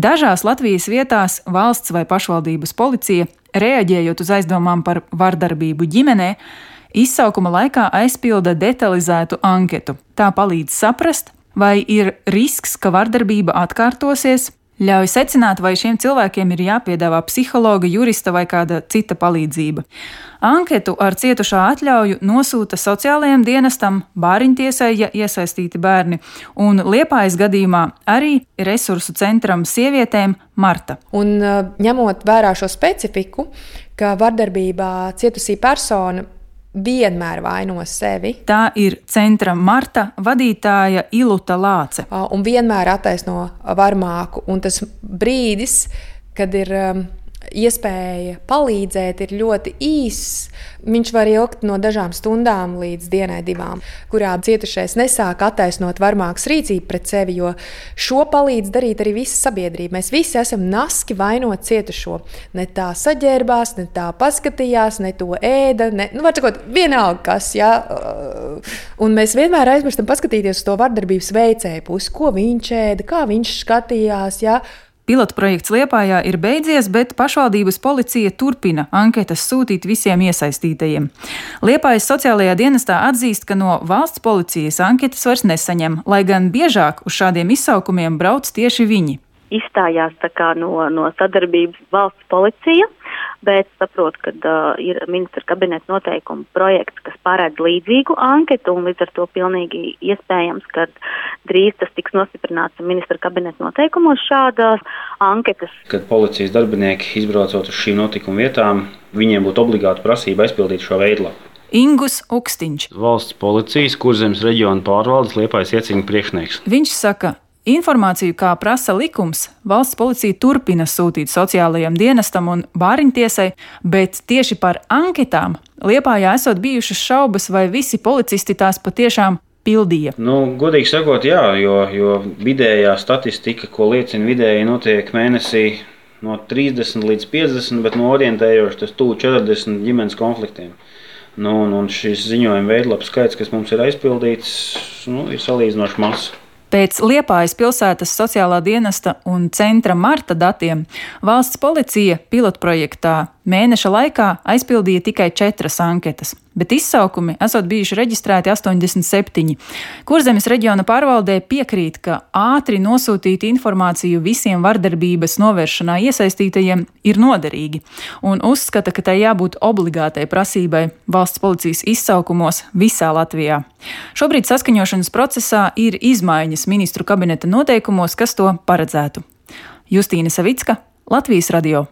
Dažās Latvijas vietās valsts vai pašvaldības policija, reaģējot uz aizdomām par vardarbību ģimenē, izsaukuma laikā aizpilda detalizētu anketu. Tā palīdz saprast, vai ir risks, ka vardarbība atkārtosies, ļauj secināt, vai šiem cilvēkiem ir jāpiedāvā psihologa, jurista vai kāda cita palīdzība. Anketu ar cietušā atļauju nosūta sociālajiem dienestam, bāriņtiesai, ja iesaistīti bērni, un Liepājas gadījumā arī resursu centram sievietēm Marta. Un ņemot vērā šo specifiku, ka vardarbībā cietusī persona vienmēr vaino sevi. Tā ir centra Marta vadītāja Iluta Lāce. Un vienmēr attaisno varmāku. Un tas brīdis, kad ir iespēja palīdzēt, ir ļoti īss. Viņš var ilgt no dažām stundām līdz dienai, divām, kurā cietušais nesāk attaisnot varmākas rīcību pret sevi, jo šo palīdz darīt arī visa sabiedrība. Mēs visi esam naski vainot cietušo. Ne tā saģērbās, ne tā paskatījās, ne to ēda, var sakot, vienalga kas, jā. Un mēs vienmēr aizmirstam paskatīties uz to vardarbības veicēju pusi, ko viņš ēda, kā viņš skatījās, jā. Pilotprojekts Liepājā ir beidzies, bet pašvaldības policija turpina anketas sūtīt visiem iesaistītajiem. Liepājas sociālajā dienestā atzīst, ka no valsts policijas anketas vairs nesaņem, lai gan biežāk uz šādiem izsaukumiem brauc tieši viņi. Izstājās no sadarbības valsts policija, bet saprot, ka ir ministra kabineta noteikuma projekts, kas paredz līdzīgu anketu, un līdz ar to pilnīgi iespējams, ka drīz tas tiks nostiprināts ministra kabineta noteikumos šādas anketas. Kad policijas darbinieki izbraucot uz šīm notikuma vietām, viņiem būtu obligāti prasība aizpildīt šo veidlapu. Ingus Ukstiņš. Valsts policijas Kurzemes reģiona pārvaldes Liepājas iecīņu priekšnieks. Viņš saka, informāciju, kā prasa likums, valsts policija turpina sūtīt sociālajiem dienestam un bāriņtiesai, bet tieši par anketām Liepājā esot bijušas šaubas, vai visi policisti tās patiešām pildīja. Godīgi sakot, jā, jo vidējā statistika, ko liecina vidēji, notiek mēnesī no 30 līdz 50, bet orientējoši tas tuvu 40 ģimenes konfliktiem. Un šis ziņojuma veidlapu skaits, kas mums ir aizpildīts, ir salīdzinoši mazs. Pēc Liepājas pilsētas sociālā dienesta un centra Marta datiem valsts policija pilotprojektā mēneša laikā aizpildīja tikai 4 anketas, bet izsaukumi esot bijuši reģistrēti 87. Kurzemes reģiona pārvaldē piekrīt, ka ātri nosūtīt informāciju visiem vardarbības novēršanā iesaistītajiem ir noderīgi, un uzskata, ka tai jābūt obligātai prasībai valsts policijas izsaukumos visā Latvijā. Šobrīd saskaņošanas procesā ir izmaiņas ministru kabineta noteikumos, kas to paredzētu. Justīna Savicka, Latvijas radio.